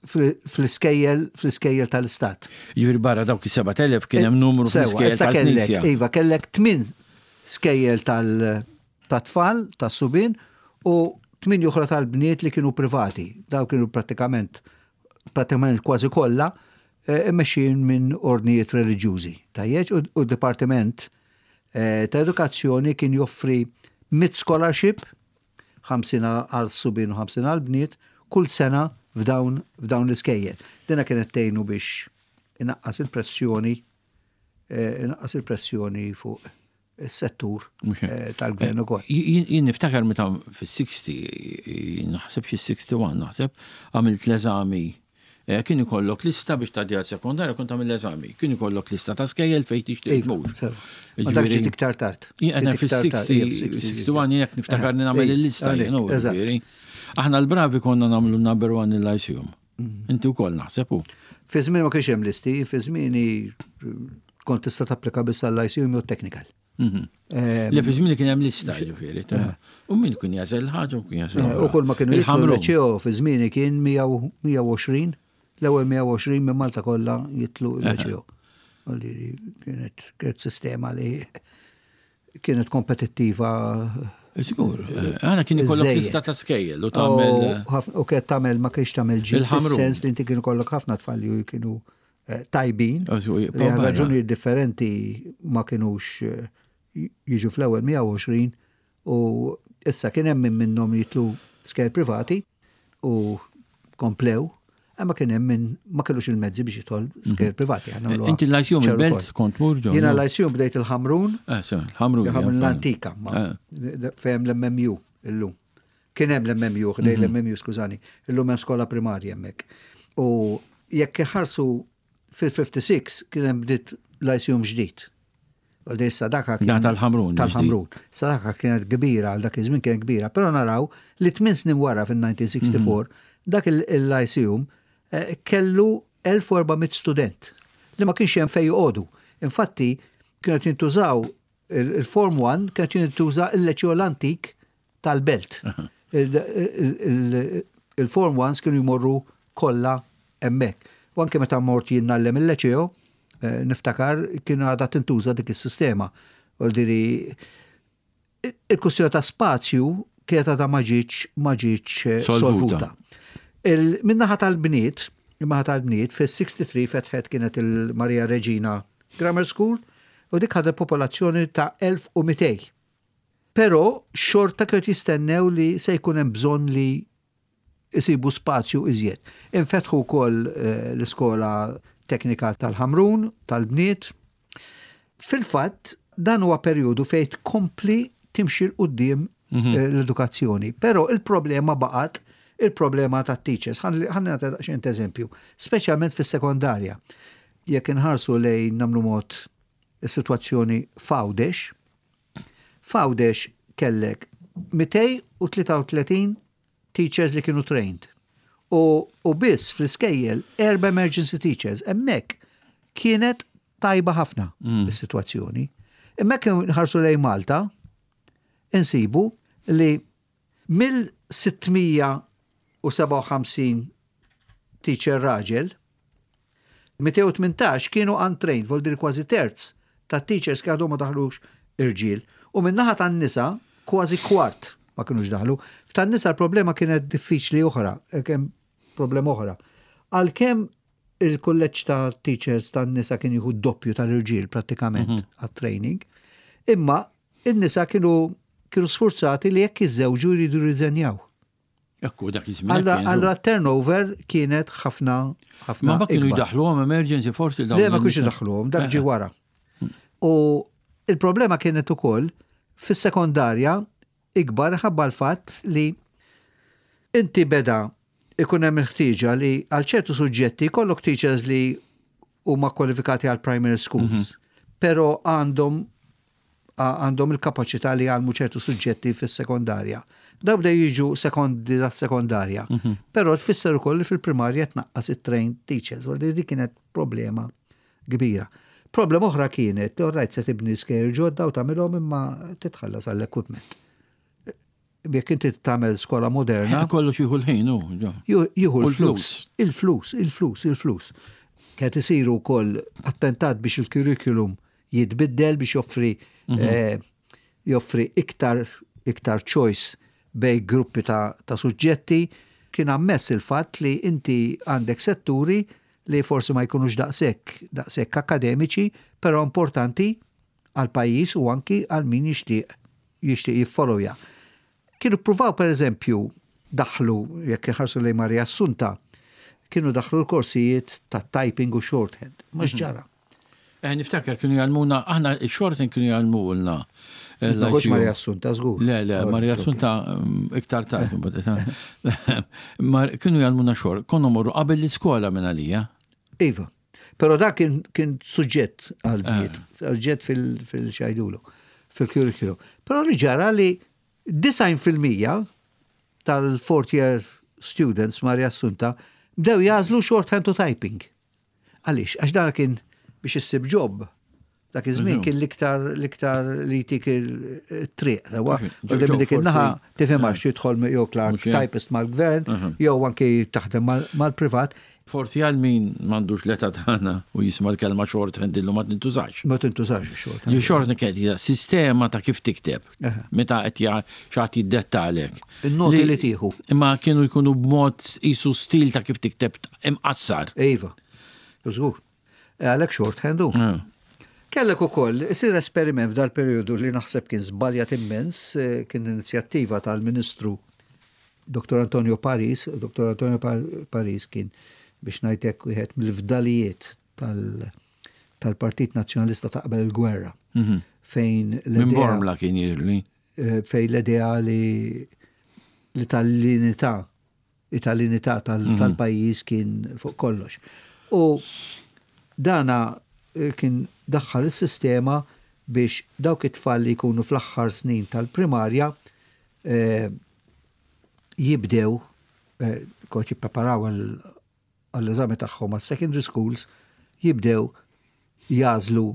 fl-iskejjel fl-iskejjel tal-istat. Jiġifieri barra dawk is-7000 kien hemm numru fl-iskejjel tal-Knisja. Iva, kellek tmien skejjel tal- ta' tfal, ta' subien, u tmien oħra tal-bniet li kienu privati. Daw kienu prattikament, prattikament kważi kollha, eh, immexxijin minn ordnijiet reliġjużi. Tajjeġ, u d-Dipartiment eh, ta' Edukazzjoni kien joffri mit scholarship, 50 għal subien u 50 għal bniet, kull sena f'dawn f'dawn l-iskejjel. Dina kienet tgħinu biex inaqqas il-pressjoni eh, inaqqas il-pressjoni fuq is-settur eh, tal-gvern ukoll. Jien niftakar meta fis-60, naħseb xi 61 naħseb, għamilt l-eżami eh, kien ikollok lista biex tgħaddi għal sekondarja kont tagħmel l-eżami. Kien ikollok lista ta' skejjel fejn tixtieq iva, tmur. Ma dak ġiet iktar tard. Jien fis-60 61 jekk niftakar li nagħmel eh, il-lista jien. Aħna l-bravi konna nagħmlu number one il-lyceum. Mm. Inti wkoll naħseb u. Fi żmien ma kienx hemm listi, fi żmieni kont tista' tapplika biss għall-ICU jew technical. Mhm. Eh, Le fi żmien kien hemm lista ġifieri. Eh. U min kien jażel ħaġa u kien jażel. Eh, u kull ma kienu jitlu l-ċeo fi żmieni kien 120, l-ewwel 120 minn Malta kollha jitlu l-ċeo. Kienet kienet sistema li kienet kompetittiva. Sigur, għana kien ikollok lista ta' skejjel u tagħmel. U kienet tagħmel ma kienx tagħmel ġid. Fis-sens li inti kien ikollok ħafna tfal li kienu eh, tajbin. Li għal raġuni differenti ma kienux eh, jiġu fl-ewwel 120 u issa kien hemm min minnhom jitlu skejjel privati u komplew, imma kien hemm min ma kellux il-mezzi biex jidħol skejjel mhm. privati. Inti l-Lyceum il-belt kont mur ġo? Jiena l-Lyceum bdejt il-Ħamrun. Eh, il-Ħamrun. Il-Ħamrun l-antika, eh. fejn l-MMU illum. Kien hemm l-MMU, ħdej mhm. l-MMU, skużani, illum hemm skola primarja hemmhekk. U jekk iħarsu Fil-56 kien hemm bdiet Lyceum ġdid. Għal sadaka kien. Tal-Ħamrun. Tal-Ħamrun. Sadaka kienet kbira għal dak iż-żmien kienet kbira, però naraw li tmien snin wara fil-1964 dak il-Lyceum eh, kellu 1400 student li ma kienx hemm fejn joqogħdu. Infatti kienet jintużaw il-Form 1 kienet jintuża il-Leċeo l-antik tal-belt. Il-Form 1 kienu jmorru kollha hemmhekk. U anke meta mort jien ngħallem il-Leċeo, eh, niftakar kien għadha tintuża dik is-sistema. U diri il-kwistjoni ta' spazju kienet għadha ma ġietx ma ġietx eh, Solvuta. solvuta. Min-naħa tal-bniet, min-naħa tal-bniet, fil-63 fetħet kienet il-Maria Regina Grammar School u dik ħadet popolazzjoni ta' 1200. Però xorta kienu jistennew li se jkun hemm bżonn li isibu spazju iżjed. Infetħu wkoll eh, l-iskola teknika tal-Ħamrun, tal-bniet. Fil-fatt, dan huwa perjodu fejn tkompli timxi 'l quddiem eh, l-edukazzjoni. Però il-problema baqgħet il-problema ta' teachers. Ħalli nagħti daqsxejn eżempju, speċjalment fis-sekondarja. Jekk inħarsu lejn nagħmlu mod is-sitwazzjoni f'Għawdex, f'Għawdex kellek 233 teachers li kienu trained. U, u biss fl-iskejjel erba emergency teachers. Hemmhekk kienet tajba ħafna is-sitwazzjoni. Hemmhekk nħarsu lejn Malta, insibu li mill-657 teacher raġel, 218 kienu untrained, vuol kważi terz ta' teachers ki għadhom ma daħlux irġiel. U min-naħa tan-nisa kważi kwart ma kienux daħlu. F'tan-nisa l-problema kienet diffiċli oħra, eh, kemm problema oħra. Għalkemm il-kulleġġ ta' teachers tan-nisa kien jieħu doppju tal-irġiel prattikament għat-training, imma in-nisa kienu kienu sforzati li jekk jiżżewġu jridu jirriżenjaw. Ekku, dak iż-żmien. Allora kienu. allora turnover kienet ħafna ħafna. Ma ma kienu ikbar. jdaħluhom emergency forsi dawn. Le ma kienx in-nisa. idaħluhom, dak ġi wara. U il-problema kienet ukoll fis-sekondarja ikbar ħabba l-fatt li inti beda ikun hemm il-ħtieġa li għal ċertu suġġetti jkollok teachers li huma kwalifikati għal primary schools, però għandhom għandhom il-kapaċità li jgħallmu ċertu suġġetti fis-sekondarja. Daw bdew jiġu sekondi ta' sekondarja. Però tfisser ukoll li fil-primarja tnaqqas it-trained teachers, u dik kienet problema kbira. Problema oħra kienet, all right se tibni skejjel ġodda u tagħmilhom imma titħallas għall-equipment. Jekk inti tagħmel skola moderna, Kollox jieħu l-ħin, u. ġo. jieħu U l-flus. Il-flus, il-flus, il-flus. Kienet isiru wkoll attentat biex il-curriculum jitbiddel biex joffri eh, joffri iktar iktar choice bejn gruppi ta', ta suġġetti. Kien ammess il-fatt li inti għandek setturi li forsi ma jkunux daqshekk daqshekk akademiċi, però importanti għal pajjiż u anki għal min jixtieq jixtieq jiffollowja. Kienu pruvaw per eżempju daħlu, jekk iħarsu lejn Maria Assunta, kienu daħlu l-korsijiet ta' typing u shorthand. Ma x'ġara. Eh, niftakar kienu jgħallmuna, aħna il-shorthand kienu jgħallmulna. Ma kontx Maria Assunta, żgur. Le, le, Maria Assunta iktar tard. mbagħad, eh. Kienu jgħallmuna short, konna morru qabel l-iskola minn għalija. Iva. Però dak kien, kien suġġett għal-bniet, suġġett fil-xajdulu, fil-curriculum. Però li ġara li 90% tal-fourth year students Maria Assunta bdew jagħżlu shorthand u typing. Għaliex? Għax dan kien biex issib job. Dak iż-żmien kien l-iktar l-iktar li jtik il-triq. Sewa, Job U dik in-naħa forsi. tifhem għax jidħol jew clerk Mhux hekk. typist mal-gvern, jew anki taħdem mal-privat. Forsi għal min m'għandux l-età tagħna u jisma' l-kelma shorthand illum ma tintużax. Ma tintużax ix-shorthand. Li shorthand kienet hija sistema ta' kif tikteb. Meta qed xi ħadd jiddettalek. In-noti li tieħu. Imma kienu jkunu b'mod isu stil ta' kif tikteb imqassar. Iva, żgur. Għalhekk shorthand hu. Kellek ukoll isir esperiment f'dal periodu li naħseb kien żbaljat immens, eh, kien inizjattiva tal-Ministru Dr. Antonio Paris. Dr. Antonio Paris kien biex ngħidlek wieħed mill-fdalijiet tal-Partit Nazzjonalista ta' qabel il-gwerra. Fejn Minn l-idea Bormla kien jirli. eh, fejn l-idea li li tal-unità tal-unità tal-pajjiż kien fuq kollox. U Dana eh, kien daħħal is-sistema biex dawk it-tfal li jkunu fl-aħħar snin tal-primarja eh, jibdew eh, kont jippreparaw għall-eżami tagħhom għas-secondary schools jibdew jagħżlu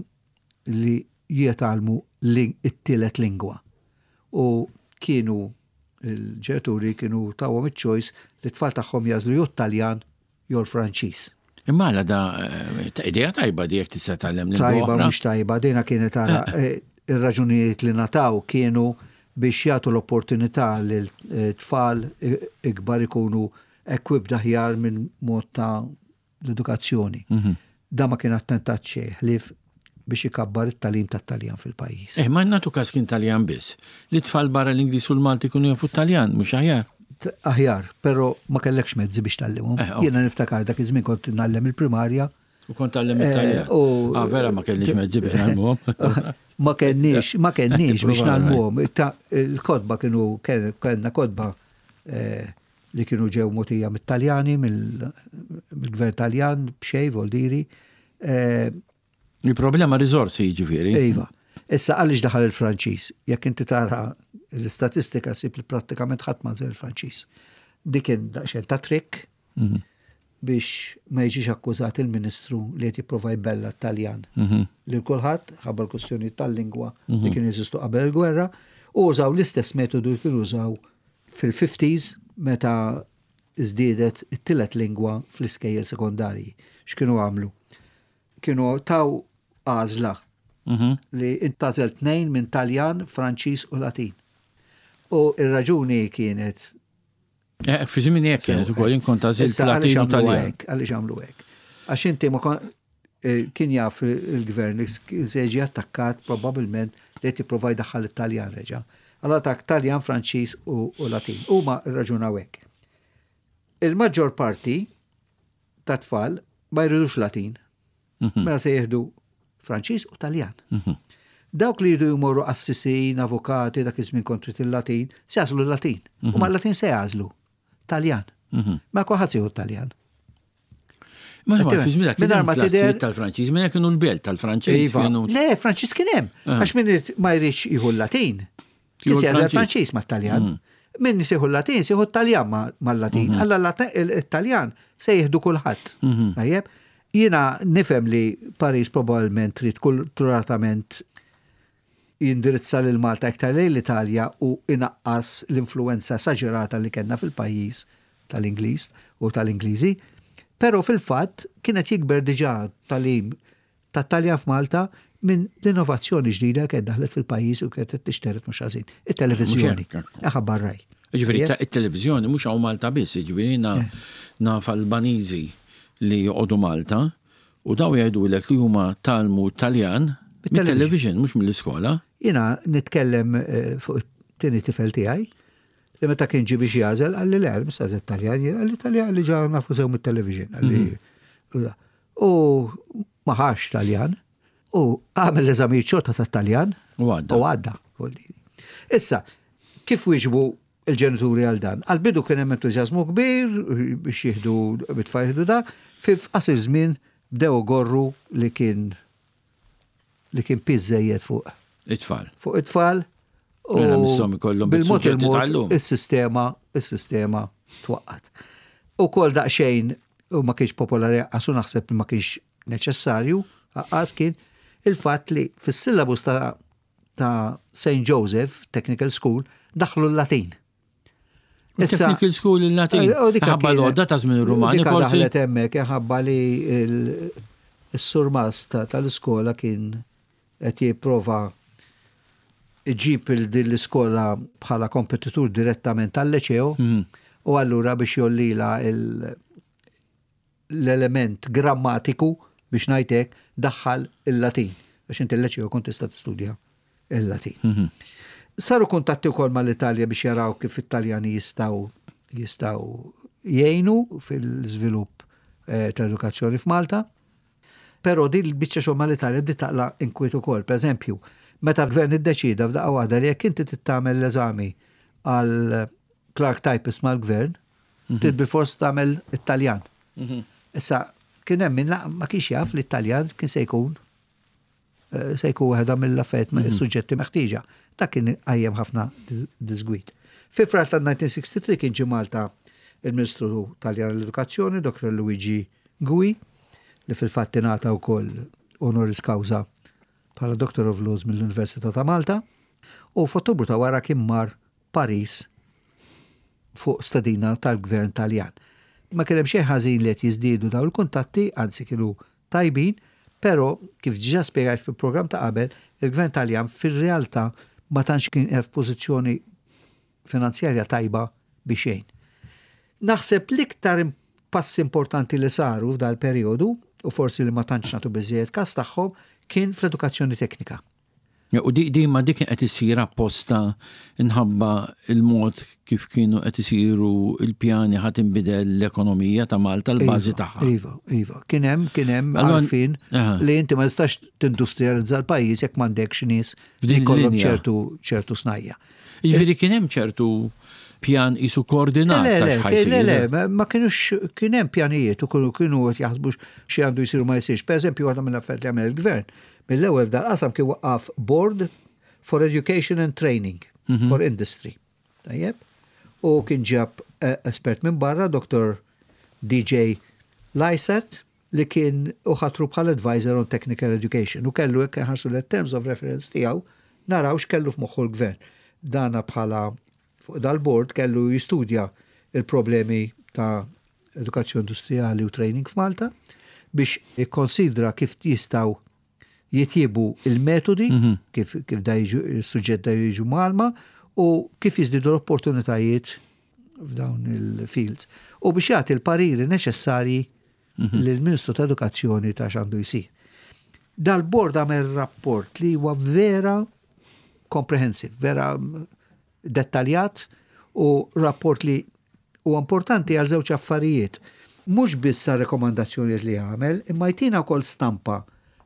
li jitgħallmu it-tielet lingwa. U kienu il-ġenituri kienu tawhom iċ-choice li t-tfal tagħhom jagħżlu jew Taljan jew l-Franċiż. Imma għala da eh, ta' idea tajba di jekk tista' tgħallem lingwa Tajba oħra. mhux tajba, dina kienet ara eh, ir-raġunijiet li nataw kienu biex jagħtu l-opportunità lil eh, tfal ikbar ikunu equipped aħjar minn mod ta' l-edukazzjoni. Da ma kien attentat xejn ħlief biex ikabbar it-tagħlim tat-Taljan fil-pajjiż. Eh, ma nagħtu każ kien Taljan biss. Li tfal barra l-Ingliż u l-Malti kunu jafu Taljan, mhux aħjar. Aħjar, però ma kellekx mezzi biex tgħallimhom. Eh, ok. Jiena niftakar dak iż-żmien kont ngħallem il-primarja. U kont tgħallem it-Taljan. u- Ah, vera ma kellix mezzi biex ngħallmuhom. Ma kenniex, ma kenniex biex Tipprova, nagħlmuhom. Il-kotba kienu kellna kotba eh, li kienu ġew mogħtija mit-Taljani, mill-gvern Taljan, b'xejn voldiri. Eh, Il-problema riżorsi jiġifieri. Iva. Issa għaliex daħal il-Franċiż? Jekk inti tara l-istatistika sib li prattikament ħadd ma il-Franċiż. Dik kien daqsxejn ta' trick biex ma jiġix akkużat il-Ministru li qed jipprova jbella t-Taljan. Lil kulħadd ħabba l-kwistjoni tal-lingwa li kien jeżistu qabel il-gwerra u użaw l-istess metodu li kienu użaw fil-50s meta żdiedet it-tielet lingwa fl-iskejjel sekondarji. X'kienu għamlu? Kienu taw għażla li intgħażel tnejn minn Taljan, Franċiż u Latin. U ir-raġuni kienet Eh, Fi żmien hekk kienet ukoll jien kont għażilt Issa, għaliex Latin u għamlu Taljan. hekk? Għaliex għamlu hekk? Għax inti ma kon eh, kien jaf il-gvern li kien se jiġi attakkat probabbilment li qed jipprova jdaħħal it-Taljan reġa'. Allora tak Taljan, Franċiż u, u Latin. Huma rraġunaw hekk. Il-maġġor parti ta' tfal ma jridux Latin. Mela se jieħdu Franċiż u Taljan. Dawk li jridu jmorru assisin, avukati, dak iż-żmien kontri il-Latin, se jagħżlu l-Latin. U ma l-Latin se jagħżlu Taljan. Ma kulħadd se jieħu Taljan. Ma ma Qed fi żmien tifhem? Mingħajr ma tidher- tal-Franċiż, minn kienu l-belt tal-Franċiż Iva. kienu. Le, Franċiż kien hemm. Għax min irid- ma jridx jieħu l-Latin. Kien Jieħu se jagħżel l-Franċiż. Franċiż mat-Taljan. Min jieħu l-Latin, se jieħu t-Taljan ma- mal-Latin. Alla l-Taljan se jieħdu kulħadd. Tajjeb? Jiena nifhem li Paris probabbilment trid kulturatament jindirizza lil Malta iktar lejn l-Italja u inaqqas l-influenza esaġerata li kellna fil-pajjiż tal-Ingliż u tal-Ingliżi. Però fil-fatt kienet jikber diġà talim ta' Taljan f'Malta minn l-innovazzjoni ġdida kienet daħlet fil-pajjiż u kienet qed tixteret mhux ħażin. It-televiżjoni. Mhux hekk, Eħabba raj. Ġifieri it-televiżjoni mhux hawn Malta biss, jiġifieri na- Eh. naf Albaniżi li joqogħdu Malta u daw jgħidulek li huma talmu Taljan mit-television mhux mill-iskola. Jiena nitkellem eh, fuq it-tieni tifel tiegħi li meta kien ġi biex jażel qalli le, mhux għażel Taljan, jien qalli Taljan li ġa nafu sew mit-television. Qalli u ma ħax Taljan u għamel l-eżamijiet xorta tat-Taljan U għadda. U għadda. voldiri. Issa, kif wieġbu il-ġenituri għal dan? Għal-bidu kien hemm entużjażmu kbir biex jieħdu bit-tfal jieħdu da, fi f'qasir żmien bdew gorru li kien li kien piż żejjed fuq It-tfal. fuq it-tfal. u Mela misshom ikollhom bil-mod bit-suġġetti il-mod tal-lum. is-sistema is-sistema twaqqat. U kol daqsxejn u ma kienx popolari għasu naħseb li ma kienx neċessarju, għas kien il-fatt li fis-syllabus ta' ta' St. Joseph Technical School daħlu l-Latin. Issa- Technical School il-Latin. Eh, u dika Ħabba kienet- l-għodda ta' żmien ir-Rumani Dika forsi. daħlet hemmhekk ħabba li il- is-surmast ta- tal-iskola kien qed jipprova iġib il din l-iskola bħala kompetitur direttament tal-leċeo u allura biex jollila il- l-element grammatiku biex ngħidlek daħħal il-Latin. Biex inti l-leċeo kont tista' tistudja il-Latin. Saru kuntatti wkoll mal-Italja biex jaraw kif it-Taljani jistgħu jistgħu jgħinu fil-żvilupp eh, tal-edukazzjoni f'Malta. Però din il-biċċa xogħol mal-Italja bdiet taqla inkwiet ukoll. Per eżempju, meta l-gvern iddeċida f'daqqa waħda li jekk inti tittamel l-eżami għal Clark Typist mal-gvern, trid bilfors tagħmel Italjan. Issa, Kien hemm min ma kienx jaf li t-Taljan kien se jkun eh, se jkun waħda mill-affarijiet mm -hmm. suġġetti meħtieġa. Dak kien qajjem ħafna disgwid. Fi frar tal-1963 kien ġie Malta il-Ministru Taljan l-Edukazzjoni, Dr. Luigi Gui, li fil-fatt ingħata wkoll honoris causa bħala Doctor of Laws mill-Università ta' Malta, u f'Ottubru ta' wara kien mar Paris fuq stedina tal-Gvern Taljan. Ma kien hemm xejn ħażin li qed jiżdiedu dawn il-kuntatti, anzi kienu tajbin, però kif diġà spjegajt fil-programm ta' qabel, il-Gvern Taljan fir-realtà ma tantx kien f'pożizzjoni finanzjarja tajba biex jgħin. Naħseb l-iktar passi importanti li saru f'dal-perjodu, u forsi li ma tantx nagħtu biżżejjed każ tagħhom, kien fl-edukazzjoni teknika. U di, di ma dik qed isir apposta nħabba il-mod kif kienu qed isiru il-pjani ħadd inbidel l-ekonomija ta' Malta l-bażi iva, tagħha. Iva, iva. Kien hemm kien hemm għarfien li inti ma tistax tindustrializza l-pajjiż jekk m'għandekx nies li jkollhom ċertu ċertu snajja. Jiġifieri kien hemm ċertu pjan isu koordinat. Le, le, le, ma kienux kien hemm pjanijiet u kienu kienu qed jaħsbu xi għandu jsiru ma jsirx. Pereżempju waħda mill-affarijiet li għamel il-gvern, mill-ewwel f'dal-qasam kien waqqaf Board for Education and Training mhm. for Industry. Tajjeb? U kien ġab eh, espert minn barra, Dr. DJ Lyset, li kien u ħatru bħala advisor on technical education u kellu hekk inħarsu l terms of reference tiegħu naraw x'kellu f'moħħu l-gvern. Dana bħala fuq dal-board kellu jistudja il-problemi ta' edukazzjoni industrijali u training f'Malta biex ikkonsidra kif jistgħu jitjiebu il-metodi mhm. kif, kif da jiġu il-suġġett da jiġu malma u kif jiżdiedu l-opportunitajiet f'dawn il-fields. U biex jagħti l-pariri neċessarji mhm. lill-Ministru ta' Edukazzjoni ta' x'għandu jsir. Dal-bord għamel rapport li huwa vera comprehensive, vera dettaljat u rapport li huwa importanti għal żewġ affarijiet. Mhux biss għar-rekomandazzjonijiet li għamel, imma jtina wkoll stampa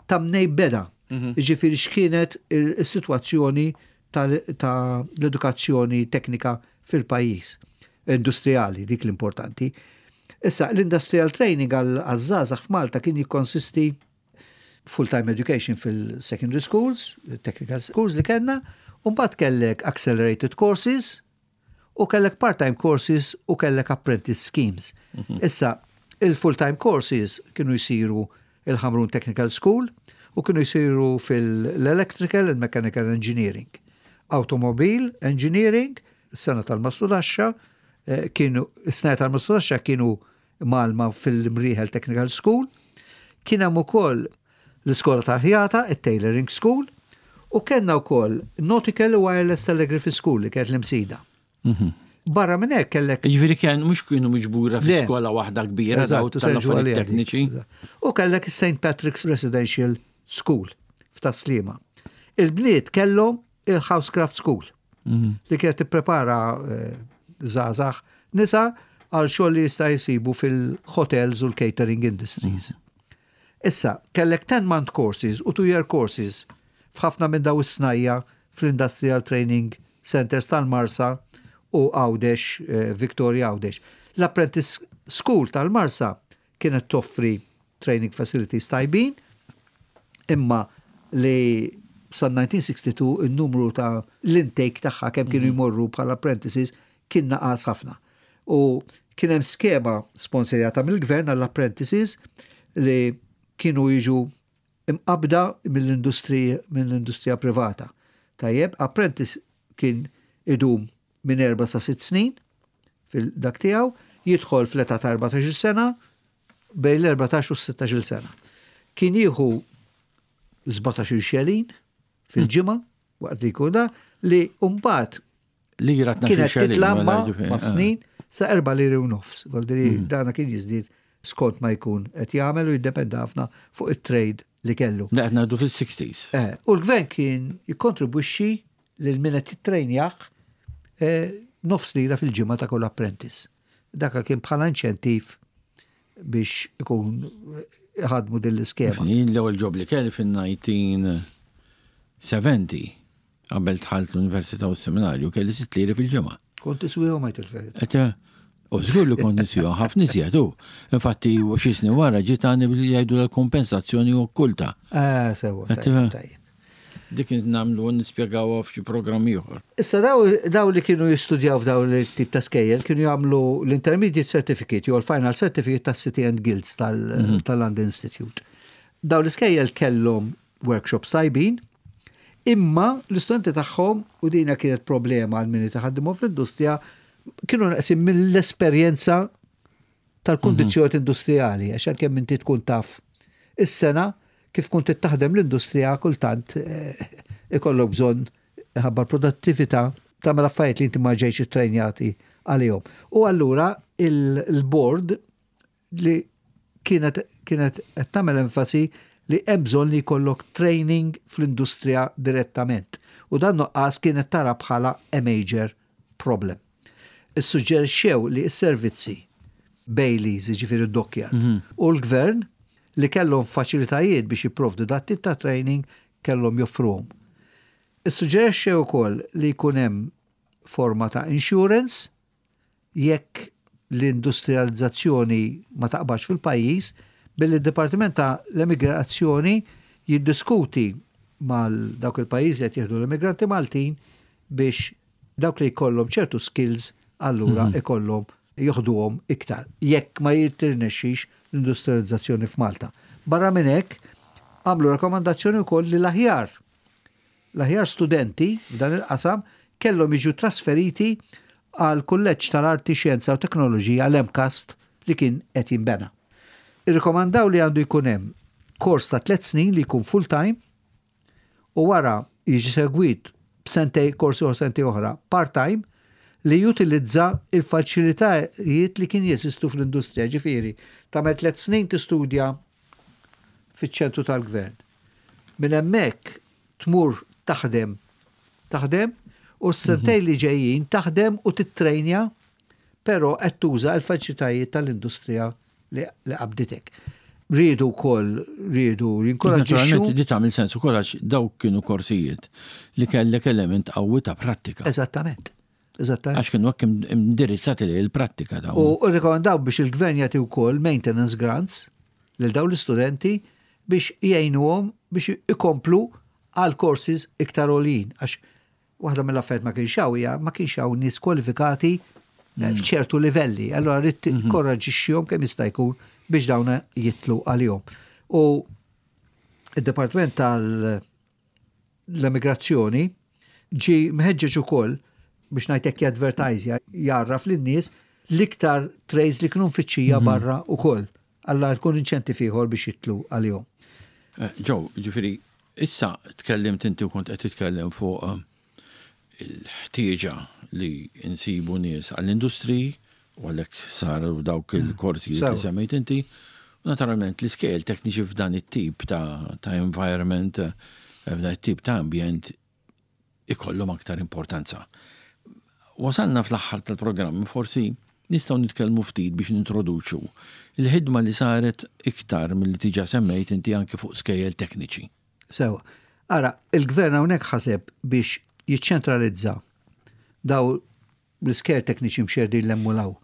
ta' mnej beda. Mhm. Ġifieri x'kienet is-sitwazzjoni ta' l-edukazzjoni teknika fil-pajjiż. Industrijali, dik l-importanti. Issa, l-industrial training għal-żgħażagħ f'Malta kien jikkonsisti full-time education fil-secondary schools, technical schools li kellna, u mbagħad kellek accelerated courses u kellek part-time courses u kellek apprentice schemes. Mhm. Issa, il-full-time courses kienu jsiru il-Ħamrun Technical School u kienu jsiru fil-Electrical and Mechanical Engineering. Automobile Engineering, sena tal-Mastudaxxa, eh, kienu, sena tal-Mastudaxxa kienu mgħallma fil-Mrieħel Technical School. Kien hemm ukoll l-iskola tal-ħjata, it-Tailoring School, u kellna wkoll Nautical Wireless Telegraphy School li kienet l-Imsida. Mhm. Barra minn hekk kellek. Jiġifieri kien mhux kienu miġbura fi skola waħda kbira daw tal-affarijiet tekniċi. U kellek is-St. Patrick's Residential School f'Tas-Sliema. Il-bniet kellhom il-Housecraft School mhm. li kienet tipprepara eh, żgħażagħ nisa għal xogħol li jista' jsibu fil-hotels u l-catering industries. Mhm. Issa, kellek 10 month courses u 2 year courses f'ħafna minn daw is-snajja fl-Industrial Training Centers tal-Marsa u Għawdex, eh, Victoria Għawdex. L-Apprentice School tal-Marsa kienet toffri training facilities tajbin, imma li sal-1962 in-numru ta' l-intake tagħha kemm kienu mhm. jmorru bħala apprentices kien naqas ħafna. U kien hemm skema sponsorjata mill-gvern għall-apprentices li kienu jiġu imqabda mill-industrija privata. Tajjeb, apprentice kien idum minn erba' sa sitt snin fil-dak tiegħu, jidħol fl-età ta' 14-il sena, bejn l-14 u s-16-il sena. Kien jieħu 17-il xelin fil-ġimgħa waqt li jkun da li mbagħad Lira kienet titla' ma' ma' snin sa' erba' liri u nofs. Voldiri mm. dana kien jiżdied skont ma jkun qed jagħmel u jiddependa ħafna fuq it-trade li kellu. Da qed ngħidu fis-60s. Eh, u l-gvern kien jikkontribwixxi lil min qed jittrejnjah eh, nofs lira fil-ġimgħa ta' kull apprentice. Daka kien bħala inċentiv biex ikun ħadmu din l-iskema. Jien l-ewwel ġob li kelli fin-1970 qabel dħalt l-Università u s-Seminarju kelli sitt liri fil-ġimgħa. Kont tiswihom għajt il-verità. Qed eh, U żgur li kont niswiha ħafna iżjed hu. Infatti xi snin wara ġiet għandi billi jgħidu l-kompensazzjoni okkulta. Ah, sewa. Tajjeb. Dik nagħmlu nispjegawha f'xi programm ieħor. Issa daw li kienu jistudjaw f'daw l-tip ta' skejjel kienu jagħmlu l-Intermediate Certificate jew l-Final Certificate tas-City and Guilds mhm. tal-London Institute. Daw l-iskejjel kellhom workshops tajbin, imma l-istudenti tagħhom u dina kienet problema għal min itaħaddimhom fl-industrija kienu naqsin mill-esperjenza tal-kundizzjonijiet mhm. industrijali, għax anke inti tkun taf is-sena kif kont taħdem l-industrija kultant eh, ikollok bżonn ħabba l-produttività tagħmel affarijiet li inti ma ġejx ittrejnjati għalihom. U allura il-board li kienet kienet qed tagħmel enfasi li hemm bżonn li jkollok training fl-industrija direttament. U dan nuqqas kienet tara bħala a major problem. Issuġġerixxew li s-servizzi Baileys, jiġifieri d-dockyard, mhm. u l-gvern li kellhom faċilitajiet biex jipprovdu dat tip ta' training kellhom joffruhom. Issuġġerixxew ukoll li jkun hemm forma ta' insurance jekk l-industrijalizzazzjoni ma taqbadx fil-pajjiż billi d-Dipartiment ta' l-Emigrazzjoni jiddiskuti mal dawk il-pajjiżi qed jieħdu l-immigranti Maltin biex dawk li jkollhom ċertu skills allura mhm. ikollhom joħduhom iktar jekk ma jirnexxix l-industrializzazzjoni f'Malta. Barra minn hekk għamlu rakkomandazzjoni wkoll li l-aħjar L-aħjar studenti f'dan il-qasam kellhom jiġu trasferiti għall-Kulleġġ tal-Arti, Xjenza u Teknoloġija, l-MCAST, li kien qed jinbena. Irrikomandaw li għandu jkun hemm kors ta' tlett snin li jkun full-time u wara jiġi segwit b'sentej kors ieħor sentej oħra part-time li jutilizza il-faċilitajiet li kien jeżistu fl-industrija, ġifieri tagħmel tlett snin tistudja fiċ-ċentru tal-gvern. Minn hemmhekk tmur taħdem taħdem u s-sentejn li ġejjin taħdem u tittrejnja però qed tuża l-faċilitajiet tal-industrija li qabditek. Riedu wkoll riedu jinkoraġġixxu. Naturalment di tagħmel sens ukoll għax dawk kienu korsijiet li kellek element qawwi ta' prattika. Eżattament. Eżattament. Għax kienu hekk indirizzati li l-prattika dawn. U rrikomandaw biex il-gvern jagħti wkoll maintenance grants lil dawn l-istudenti biex jgħinuhom biex ikomplu għal courses iktar għoljin. Għax waħda mill-affarijiet ma kienx hawn hija ma kienx hawn nies kwalifikati eh, f'ċertu livelli. Allora rrid mhm. tikkoraġixxihom kemm jista' jkun biex dawn jitlu għalihom. U id-Dipartiment tal- l-emigrazzjoni ġie mħeġġeġ ukoll biex ngħid hekk jadvertajżja, jgħarraf lin-nies l-iktar trades li kienu mfittxija mhm. barra ukoll. Alla tkun inċentiv ieħor biex jitlu għalihom. Eh, Ġew, ġifieri, issa tkellimt inti u kont qed titkellem fuq eh, il-ħtieġa li nsibu nies għall-industriji u għalhekk saru dawk mm. il-korsijiet li semmejt inti. U naturalment l-iskejjel tekniċi f'dan it-tip ta', ta environment, eh, f'dan it-tip ta' ambjent ikollhom aktar importanza. Wasalna fl-aħħar tal-programm, forsi nistgħu nitkellmu ftit biex nintroduċu il-ħidma li saret iktar milli diġà semmejt inti anke fuq skejjel tekniċi. Sewa. Ara, il-gvern hawnhekk ħaseb biex jiċċentralizza daw l-iskejjel tekniċi mxerdin 'l hemm u 'l hawn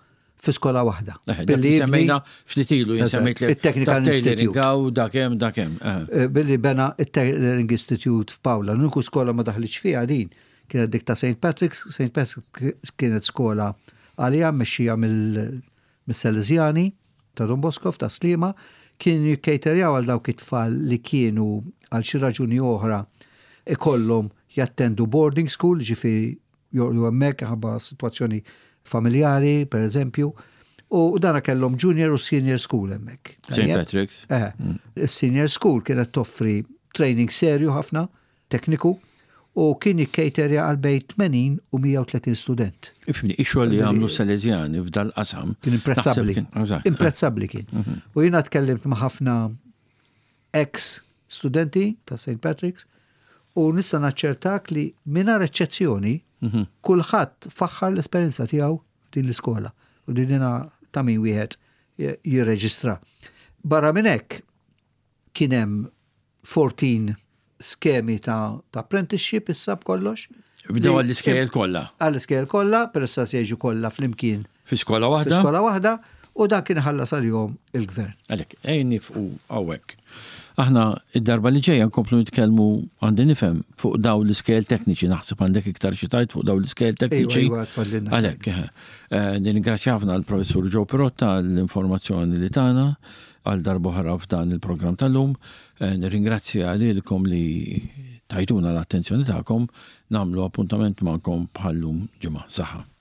fi skola waħda. Eh, billi semmejna ftit ilu semmejt il-Technical Institute. Dak hemm dak hemm. Eh. Eh, billi bena il-Tailoring Institute f'Pawla. L-uniku skola ma daħlitx fiha din kienet dik ta' St. Patrick's. St. Patrick's kienet skola għalija mmexxija mill-Salesiani ta' Don Bosco ta' Sliema kienu jikkejterjaw għal dawk it-tfal li kienu għal xi raġuni oħra ikollhom jattendu boarding school, ġifieri jorqdu hemmhekk ħabba sitwazzjoni familjari, per eżempju. U dana kellhom junior u senior school hemmhekk. St. Patrick's. Eh, mm. Is-senior school kienet toffri training serju ħafna, tekniku, u kien jikkejterja għal bejn 80 u 130 student. Ifni, ix-xogħol li għamlu Salesiani f'dal-qasam. Kien imprezzabbli. Imprezzabbli kien. Mhm. U jiena tkellimt ma' ħafna ex studenti ta' St. Patrick's u nista' naċċertak li mingħajr eċċezzjoni mhm. kulħadd faħħar l-esperjenza tiegħu f'din l-iskola u din ta' min wieħed jirreġistra. Barra minn hekk kien hemm 14 skemi ta', ta apprenticeship issa b'kollox. Bdew għall-iskejjel kollha. Għall-iskejjel kollha, per issa se jiġu kollha flimkien. Fi skola waħda? Fi skola waħda u dan kien ħallas għalihom il-gvern. Għalhekk, ejja nifqu hawnhekk. Aħna id-darba li ġejja nkomplu nitkellmu għandi nifhem fuq daw l-iskejjel tekniċi, naħseb għandek iktar xi tgħid fuq daw l-iskejjel tekniċi. Iva, iva, Għalhekk, eh, nirringrazzja ħafna l-Professur Joe Pirotta l-informazzjoni li tagħna għal darb'oħra f'dan il-programm tal-lum. Eh, nirringrazzja lilkom li tajtuna l-attenzjoni tagħkom, nagħmlu appuntament magħkom bħallum ġimgħa. Saħħa.